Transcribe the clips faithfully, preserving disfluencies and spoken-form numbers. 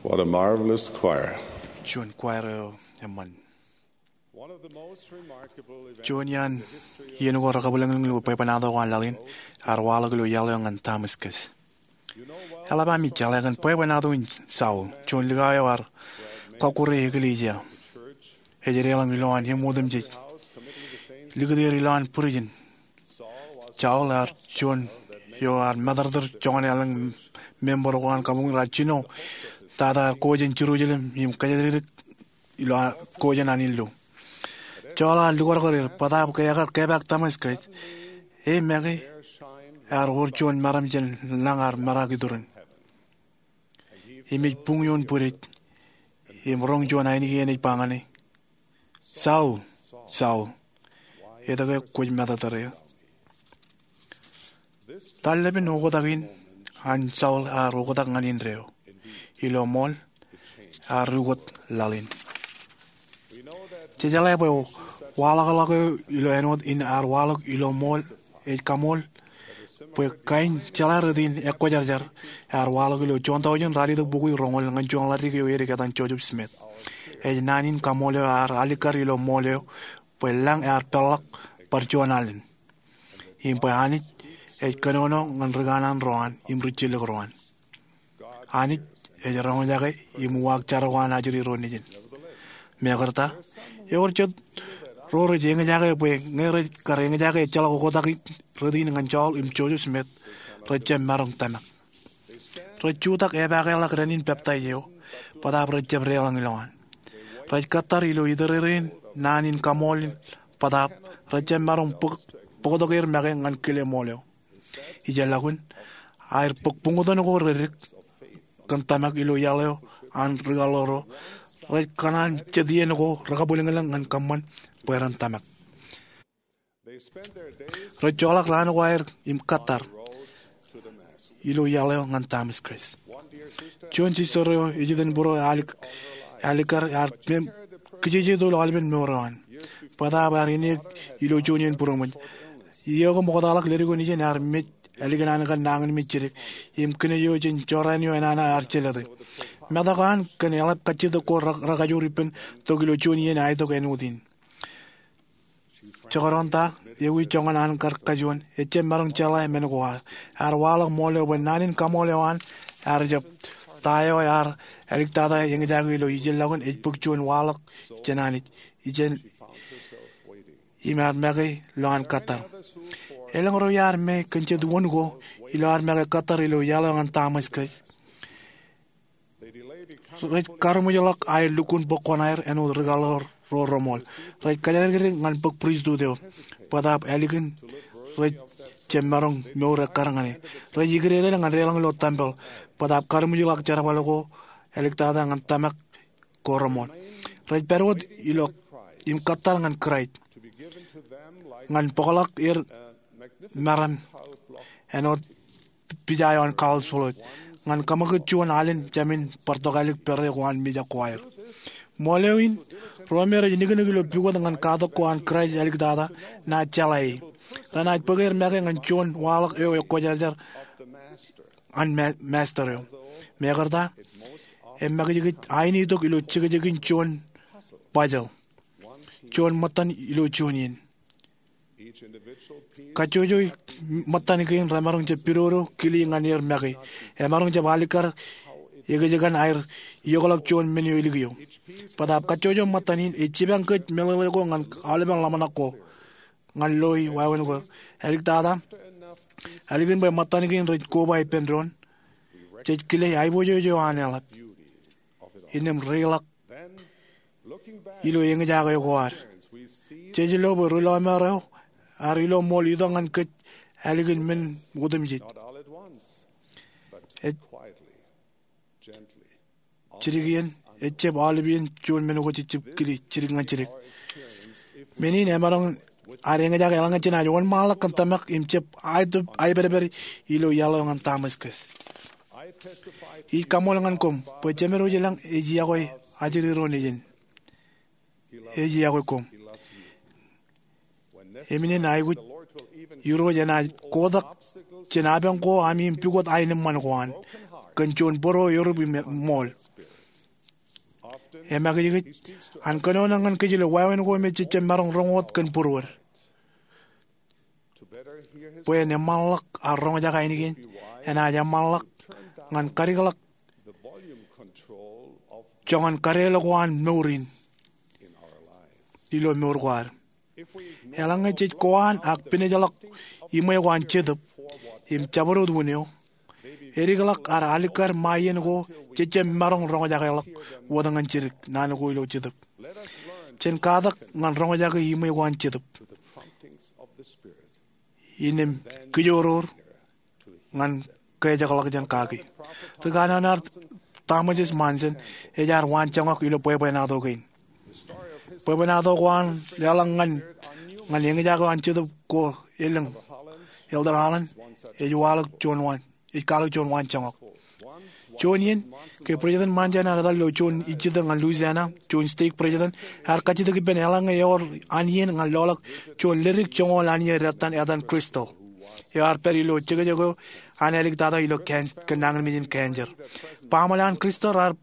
What a marvelous choir. Juon kwaer eo eṃṃan. Juon iaan iien ko rekabwilōñlōñ ilo bwebwenato ko an laḷ in ear waḷọk ilo iaḷ eo ñan Tamaskas. Eḷap ami jeḷā kōn bwebwenato in Saul, juon likao eo ear kọkkure eklejia. Ej deḷọñ ilowaan im otemjej, likūt er ilowaan būrijin. Saul ear juon eo ear matōrtōr joñan elōñ member ko an kabuñ in raar jino tata ear ko jān Jerusalem im kōjatdikdik ilo ko jān an illu. Saul ear lukakakar er bōtaab ke ekar kepaak Tamaskas, e make ear wōr juon meram jān lañ ear meraak iturin. Im ej buñ ioon bwidej im roñ juon ainikien ej ba ñan e, Saul, Saul, etke kwōj matōrtōr eō? Tarlepen oktak in an Saul ear oktak ñan indeeo. Ilo ṃool, ear ukōt laḷ in. Jej jeḷā bwe waḷọkḷọk eo ilo āinwōt in ear waḷọk ilo ṃool ej kaṃool bwe kain jeḷā rot in ekwōjarjar ear waḷọk ilo juon taujin ralitōk bukwi roñoul ñan juon ḷaddik eo edik etan Joseph Smith. Ej naan in kaṃool eo ear alikkar ilo ṃool eo bwe lañ ear peḷḷọk bar juon alen, im bwe Anij ej kōnono ñan ri kanaan ro an im ri jillōk ro an. Anij ej roñjake im uwaak jar ko an ajri ro nejin. Mekarta, ewōr jet ro rej eñjake bwe ñe rej kar eñjake ejjeḷọk oktak rot in ñan Saul im Joseph Smith, rej jab maroñ tōmak. Rej jutak epaakḷọk dān in peptaij eo, bōtaab rej jab deḷọñ ilowaan. Rej kōttar ilo itōrereen naan in kaṃool in, bōtaab rej jab maroñ bōk, bōktok er make ñan kile ṃool eo. Ijellọkun, aer bōk buñūtōn ko reddik kōn tōmak ilo iaḷ eo an ri kaḷoor ro, rej kōṇaan jet iien ko rekabwilōñlōñ ñan kōṃṃan bwe ren tōmak. Rej joḷọk raan ko aer im kōttar ilo iaḷ eo ñan Tamaskas. Juon sister eo ej itok bōro alik, alikkar ear mem, kijeje tok ilo aolepen mour eo an. Bōtaab ear ineek ilo juon iien būroṃōj. Iiō ko ṃoktaḷọk leddik eo nejin ear mej ālikin an kar nañinmej jidik im kine eo jān jorrāān eo enana ear jelōte. Metak eo an kōn eḷap kajjitōk ko re, rekajoor ippān tok ilo juon iien aetok āinwōt in. Jekdọọn ta, ewi joñan an kar kajuon, ejjab maroñ jeḷā men ko ad. Ear waḷọk ṃool eo bwe naan in kaṃool eo an ear jab ta eo ear aliktata eñjake ilo ijellọkun ej bōk juon waḷọk jān Anij. Ijin, im ear make ilo an kōttar. Elōñ ro iar make kōn jet wōn ko ilo ear make kōttar ilo iaḷ eo ñan Tamaskas. Rej karuṃwijḷọk aer lukkuun bōk kuṇaer āinwōt ri kaḷoor ro reṃool. Rej kōjatdikdik ñan bōk pristut eo. Bōtaab ālikin rej jab maroñ mour ekkar ñan e. Rej ikdedel ñan deḷọñ ilo tempel. Bōtaab karuṃwijḷọk jerbal ko aliktata ñan tōmak ko reṃool. Rej pād wōt ilo im kōttar ñan Kraist ñan bōkḷọk er meram āinwōt pija eo an Karl Floyd, ñan kaṃakūt juon alen jāmin bar tokālik pere ko an mijak ko aer. Ṃool eo in, ro me rej niknik ilo pukot ñan katak ko an Kraist aliktata, naaj jeḷā e. Renaaj bōk er make ñan juon waḷọk eo ekwōjarjar an ma, master eo. Mekarta, emakijkij ainitok ilo jekjekin juon puzzle, juon ṃōttan ilo juon iien. Kajjojo ṃōttan kein remaroñ jab pidodo kile ñan er make. Emaroñ jab alikkar ekōjkan aer iokḷọk juon men eo ilikiō. Bōtaab kajjojo ṃōttan in ej jipañ kōj meḷeḷe ko ñan aolepen ḷōmṇak ko, ñan loi wāween ko. Aliktata, ālikin bwe ṃōttan kein rej koba ippān doon, jej kile aiboojoj eo an eḷap. Innām reiḷọk ilo eñjake ko ad, jej lo bwe ri lọmọọr eo ear ilo ṃool itok ñan kōj ālikin men otemjej. Ej, jidik iien, ejjab aolep iien juon men ko jej jab kile jidik ñan jidik. Men in emaroñ ad eñjake eḷaññe jenaaj wōnṃaanḷọk kōn tōmak im jab aetōp aipedped ilo iaḷ eo ñan Tamaskas. Ij kaṃool ñan koṃ bwe Jemedwōj i lañ ej iọkwe ajri ro nejin. Ej iọkwe koṃ. Im inen aikuj, Irooj enaaj kotak jān apañ ko ami im pukot aenōṃṃan ko an kōn juon bōro erup im ṃool. Emakijkij an kōnono ñan kōj ilo wāween ko me jej jab maroñ roñ wōt kōn būruod. Bwe en eṃṃanḷọk ad roñjake ainikien, enaaj eṃṃanḷọk ñan kadikḷọk joñan kadeḷọk ko an mour in ilo mour ko ad. Eḷaññe jej ko an ak pinejḷọk iṃwe ko an Jetōb im jabdewōt wūn eo, edikḷọk ad alikkar ṃae iien ko jej jab maroñ roñjakeḷọk wōt ñan jidik naan ko ilo Jetōb. Jen katak ñan roñjake iṃwe ko an Jetōb innām kijoror ñan kōjekḷọk jān kaki. Ri kanono ad, Thomas S. Monson, ej ad waanjoñak ilo bwebwenato kein. Bwebwenato ko an leḷọk ñan, ñan eñjake eo an Jetōb ko elōñ, Elder Holland, ej kwaḷọk juon waan, ej kwaḷọk juon waanjoñak. Juon iien, ke President Monson ear etal ilo juon ijjitōk ñan Louisiana, juon stake president, ear kajjitōk ippān eḷaññe ewōr an iien ñan loḷọk juon ledik joñoul an iien detan etan crystal eo ear pād ilo jekjek eo an āliktata ilo can-, kōn nañinmej in cancer. Baaṃle an crystal raar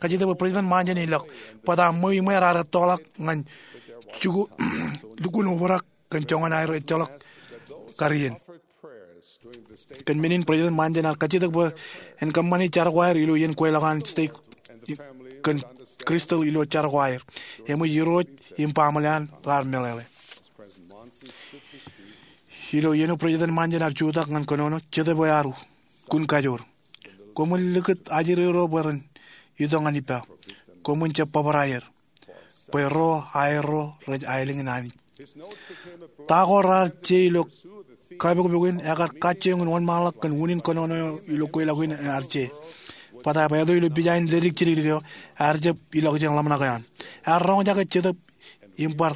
kajjitōk bwe President Monson en ilọk, bōtab ṃweo iṃwe raar ettoḷọk ñan jikuuḷ, lukkuun obrak kōn joñan aer ejjeḷọk kar iien. Kōn men in President Monson ear kajjitōk bwe en kōṃṃani jar ko aer ilo iien kweilọk an stake kōn crystal ilo jar ko aer. Eṃōj irooj im baaṃle an raar meḷeḷe. Ilo iien eo President Monson ear jutak ñan kōnono, Jetōb eo ear kun kajoor. Koṃwin likūt ajri ro bwe ren itok ñan ippa. Koṃwin jab bōbrae er, bwe ro aerro rej aelōñ in Anij. Ta ko raar je ilo kapokpok in ekar kajjioñ in wōnṃaanḷọk kōn unin kōnono eo ilo kweilọk in ear je. Bōtab eto ilo pija in ledik jidikdik eo, ear jab ilọk jān ḷōmṇak eo an. Ear roñjake Jetōb im bar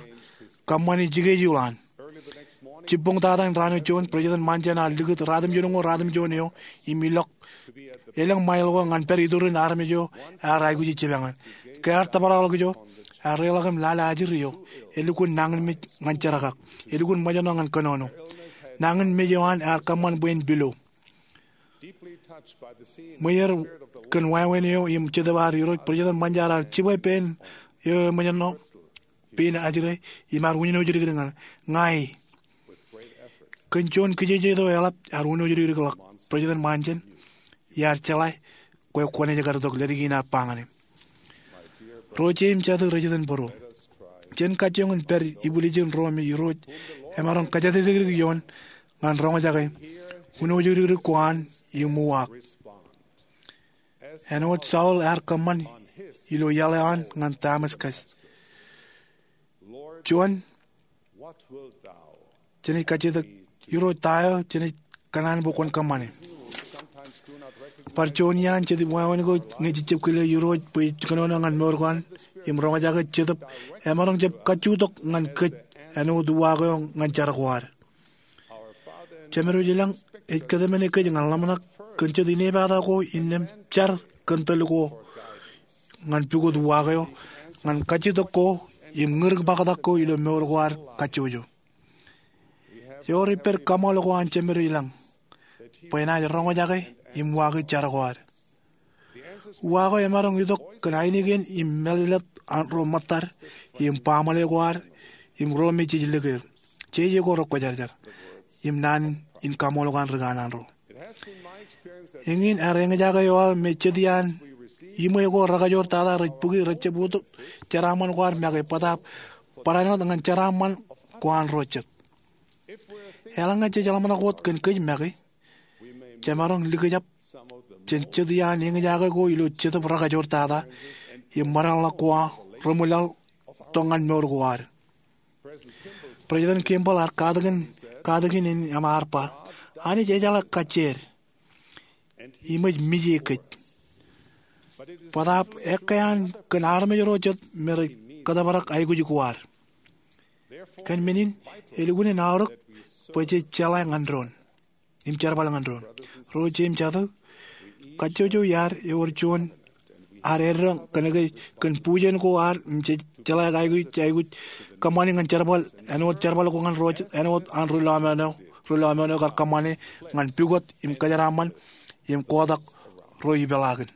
kōṃṃani jikejuuḷ an. Jibboñ tata in raan eo juon, President Monson ear likūt ratimjuonñoul ratimjuon eo im ilọk elōñ ṃail ko ñan pād iturin armej eo ear aikuji jipañ in. Ke ear tōprak ḷọk ijo, ear reḷọk im lale ajri eo elukkuun nañinmej ñan jerkak, elukkuun ṃōjṇọ ñan kōnono. Nañinmej eo an ear kōṃṃan bwe en pilo. Ṃweer kōn wāween eo im Jetōb ad Irooj, President Monson ear jibwe pein eo eṃōjṇọ, pein ajri, im ear wūnoujidikdik ñan e. Ña e. Kōn juon kijeje eo eḷap ear wūnoujidikdik ḷọk, President Monson, iar jeḷā kwe kwōnaaj kar itok ledik in ear ba ñan e. Ro jeiū im jatū rej iten būruō, jen kajjioñ in pād ibwiljin ro me Irooj emaroñ kōjatdikdik ioon ñan roñjake wūnoujidikdik ko an im uwaak, āinwōt Saul ear kōṃṃan ilo iaḷ eo an ñan Damascus. Juon, jenaaj kajjitōk, Irooj, ta eo jenaaj kōṇaan bwe kwōn kōṃṃane? Bar juon iaan jet wāween ko ñe jej jab kile Irooj bwe ej kōnono ñan mour ko an im roñjake Jetōb, emaroñ jab kajjutok ñan kōj āinwōt uwaak eo ñan jar ko ad. Jemedwōj ilañ ej kōtmāne kōj ñan ḷōmṇak kōn jet inepata ko innām jar kōn tōl ko ñan pukot uwaak eo, ñan kajjutok ko im ñūrik bōktak ko ilo mour ko ad kajjojo. Ewōr ippād kaṃool ko an Jemedwōj ilañ bwe enaaj roñjake im uwaake jar ko ad. Uwaak eo emaroñ itok kōn ainikien im mālōtlōt an ro ṃōttad im baaṃle ko ad im ro me jej likier. Jeje ko rekwōjarjar im naan in kaṃool ko an ri kanaan ro. Eñin ear eñjake eo aō me jet iaan iṃwe ko rekajoor tata rej bōki rejjab ut jeraaṃṃan ko ad make bōtab barāinwōt ñan jeraaṃṃan ko an ro jet. Eḷaññe jej ḷōmṇak wōt kōn kōj make, jemaroñ likjab jān jet iaan eñjake ko ilo Jetōb rekajoor tata im ṃōdeḷọk ko reṃwilaḷ tok ñan mour ko ad. President Kimball ear katakin, katakin in im ear ba, Anij ejeḷā kajjied im ej mije kōj, bōtab ekkā an kōn armej ro jet me rej kōtōprak aikuj ko ad. Kōn men in, elukkuun in aorōk bwe jej jeḷā ñan doon im jerbal ñan doon. Ro jeiū im jatū, kajjojo iaad ewōr juon ad eddo kōnke kōn bujen ko ad im jej jeḷā aikuj, aikuj kōṃṃani ñan jerbal āinwōt jerbal ko ñan ro jet āinwōt an ri lọmọọr eo, ri lọmọọr eo kar kōṃṃane ñan pukot im kōjeraaṃṃan im kotak ro ipeḷaakin.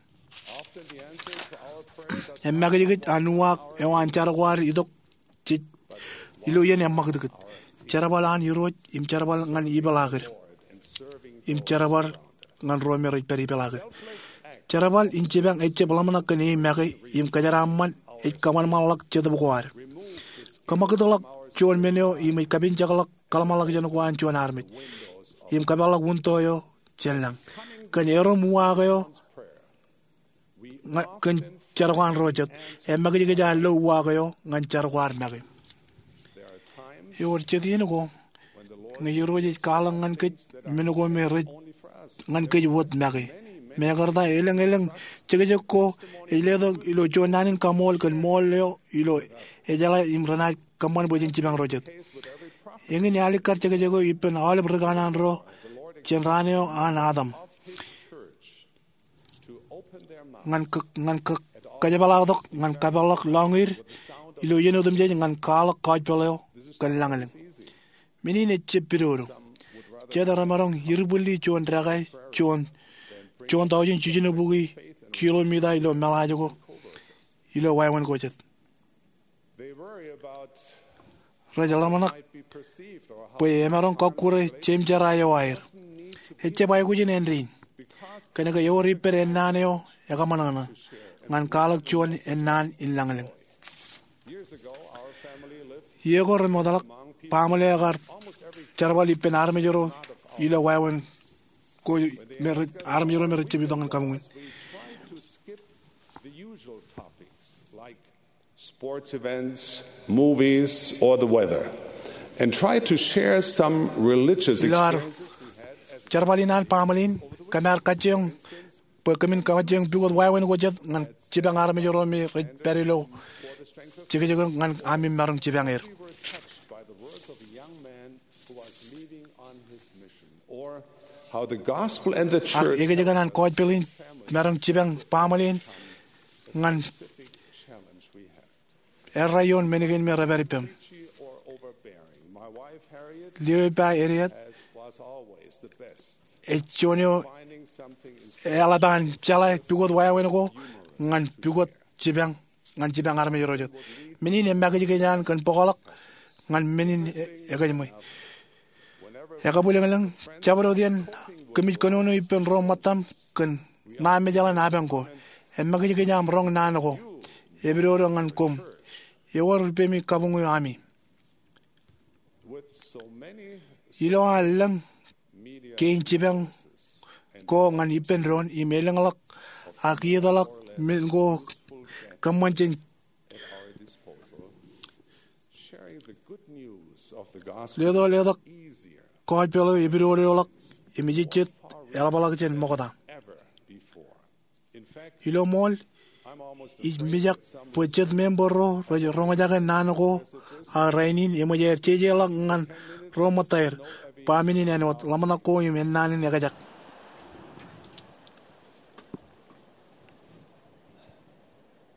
Emakijkij an uwaak eo an jar ko ad itok jej ilo iien eṃṃakūtkūt. Jerbal an Irooj im jerbal ñan ipeḷaakid im jerbal ñan ro me rej pād ipeḷaakid. Jerbal in jipañ ejjab ḷōmṇak kōn e make im kōjeraaṃṃan ej kōṃanṃanḷọk jetōb ko ad. Kōṃakūtḷọk juon men eo im ej kapinjekḷọk kōḷmānḷọkjeṇ ko an juon armej im kapeḷḷọk winto eo jān lañ. Kōn erom uwaak eo ña- kōn jar ko an ro jet, emakijkij ad lo uwaak eo ñan jar ko ad make. Ewōr jet iien ko ñe Irooj ej kwaḷọk ñan kōj men ko me rej ñan kōj wōt make. Mekarta elōñ elōñ jekjek ko ej letok ilo juon naan in kaṃool kōn ṃool eo ilo ejeḷā im renaaj kōṃṃan bwe jen jipañ ro jet. Eñin ealikkar jekjek eo ippān aolep ri kanaan ro jān raan eo an Adam ñan kō- ñan kō- kōjepḷaaktok ñan kapeḷḷọk lọñiid ilo iien otemjej ñan kwaḷọk kọjpeḷ eo kōn lañlōñ. Men in ejjab pidodo. Jet remaroñ irbwilli juon dekā juon juon taujin jiljino bukwi kilomita ilo meḷaaj ko ilo wāween ko jet. Rej ḷōmṇak bwe emaroñ kọkkure jeimjerā eo aer. Ejjab aikuj in āindein kōnke ewōr ippād ennaan eo ekōṃanṃan ñan kwaḷọk juon ennaan in lañlōñ. Iiō ko remootḷọk, baaṃle eo ekar jerbal ippān armej ro ilo wāween ko me rej- armej ro me rej jab itok ñan kabuñ in. Sports events, movies, or the weather, and try to share some religious Ilo ad experiences we had as jerbal in an baaṃle in, kōm ar kajjioñ bwe kōmin kajjioñ pukot wāween ko jet ñan jipañ armej ro me rej pād ilo jekjek ñan ami maroñ jipañ er. We were touched by the words of a young man who was leaving on his mission, or how the gospel and the Ak church ekōjkan an kọjpeḷ in maroñ jipañ baaṃle in ñan challenge we had. Errā ioon men kein me rej pād ippaṃ. Preachy or overbearing, my wife Harriet, Lio ippa Harriet, as was always the best, ej juon eo finding something in eḷap an jeḷā pukot wāween ko ñan pukot jipañ ñan jipañ armej ro jet. Men in emakijkij an kōn bōkḷọk ñan men in e- ekōjṃwe. Ekabwilōñlōñ, jabdewōt iien kōmij kōnono ippān ro ṃōttaṃ kōn ṇa mejaḷ in apañ ko. Emakijkij aṃ roñ naan ko. Epidodo ñan koṃ. Ewōr ippemi kabuñ eo ami. Ilo an lōñ kein jipañ ko ñan ippān doon im elōñḷọk ak iietḷọk men ko kōṃṃan jān leto letok kọjpeḷ eo epidodoḷọk im ejejjet eḷapḷọk jān ṃokta. Ilo ṃool, ij mijak bwe jet member ro rej roñjake naan ko aō rainin eṃōj aer jejeḷọk ñan ro ṃōttaer ba men in āinwōt ḷōmṇak ko im ennaan in ekjak.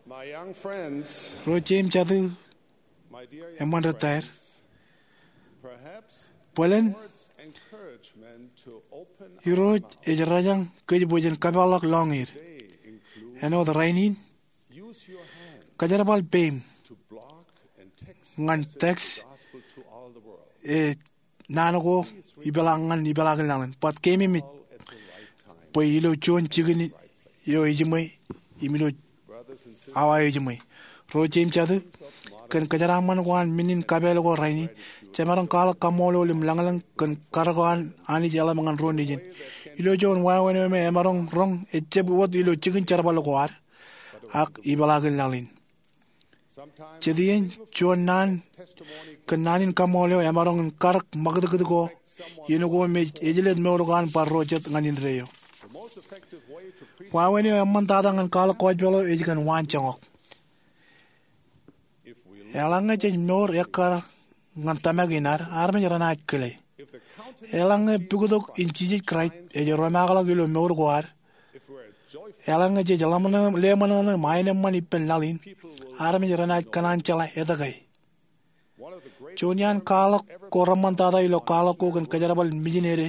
My young friends, Ro jeim jatū, my dear young eṃṃan ri taer, friends, perhaps bōlen the Lord's encouragement to open our Irooj mouth ej rōjañ kōj bwe jen kapeḷḷọk lọñiid. Today includes āinwōt rainin, use your hand kōjerbal peim to block and text ñan text the gospel to all the world. E naan ko ipeḷaak ñan ipeḷaakin lañlōñ. Bōk keememej bwe ilo juon jikin eo ejiṃwe im ilo awa eo ejiṃwe. Ro jeim jatū, kōn kōjeraaṃṃan ko an men in kapeel ko rainin, jemaroñ kwaḷọk kaṃṃoolol im lañlōñ kōn karōk eo an Anij eḷap ñan ro nejin. Ilo juon wāween eo me emaroñ roñ ejjab wōt ilo jikin jerbal ko ad, ak ipeḷaakin lañlōñ. Jet iien juon naan kōn naan in kaṃṃool eo emaroñ in karōk ṃakūtkūt ko iien ko me ejlel mour ko an bar ro jet ñan indeeo. Wāween eo eṃṃantata ñan kwaḷọk kọjpeḷ eo ej kōn waanjoñak. Eḷaññe jej mour ekkar ñan tōmak in ad, armej renaaj kile. Eḷaññe pukot in Jisōs Kraist ej romaakḷọk ilo mour ko ad, eḷaññe jej ḷōmṇak im aenōṃṃan ippān laḷ in, armej renaaj kōṇaan jeḷā etke. Juon iaan kwaḷọk ko reṃṃantata ilo kwaḷọk ko kōn kōjerbal mijinede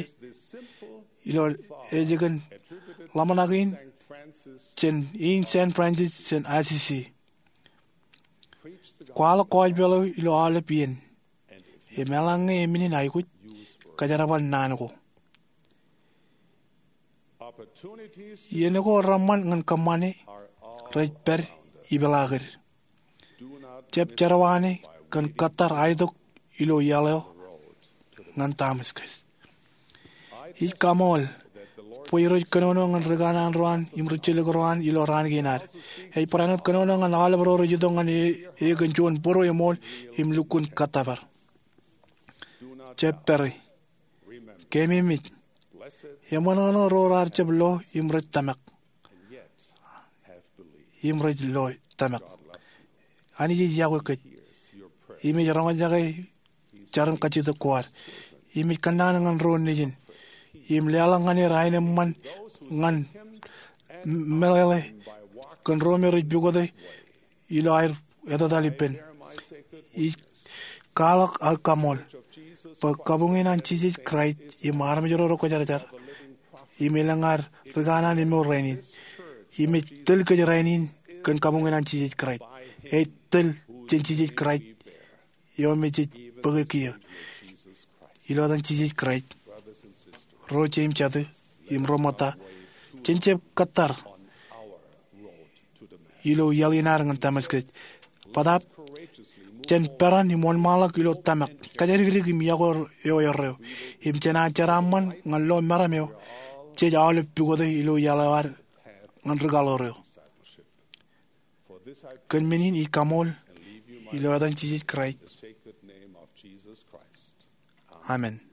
ilo ej kōn ḷōmṇak in jān in San Francisco jān Assisi. Kwaḷọk kōjpeḷ eo ilo aolep iien, im eḷaññe emenin aikuj, kōjerbal naan ko. Iien ko reṃṃan ñan kōṃṃane rej pād ipeḷaakid. Jab jerọwaane kōn kōttar aitok ilo iaḷ eo ñan Damascus. Ij kaṃool bwe Irooj kōnono ñan ri kanaan ro an im ri jilkinro an ilo raan kein ad. Ej barāinwōt kōnono ñan aolep ro rej itok ñan e kōn juon bōro eṃool im lukkuun kōttōpar. Jab pere. Keememej, eṃōṇōṇō ro raar jab lo im rej tōmak, im rej lo tōmak. Anij ej yokwe kōj im ej roñjake jar im kajjitōk ko ad. Im ej kōnnaan ñan ro nejin im leḷọk ñan er aenōṃṃan ñan meḷeḷe kōn ro me rej pukote ilo aer etetal ippān. Ij kwaḷọk aō kaṃool bwe kabuñin an Jisōs Kraist im armej ro rekwōjarjar im elōñ ad ri kanaan emour rainin. Im ej tōl kōj rainin kōn kabuñin an Jisōs Kraist. Ej tōl jān Jisōs Kraist eo me jej bōke kiiō. Ilo etan Jisōs Kraist, ro jeiū im jatū im ro ṃōtta, jen jab kōttar ilo iaḷ in ad ñan Damascus. Bōtaab, jen peran im wōnṃaanḷọk ilo tōmak, kōjatdikdik im yokwe eo erreo. Im jen jeraaṃṃan ñan lo meram eo jej aolep pukote ilo iaḷ eo ad ñan ri kaḷoor eo. Kōn men in ij kaṃool ilo etan Jisōs Kraist, amen.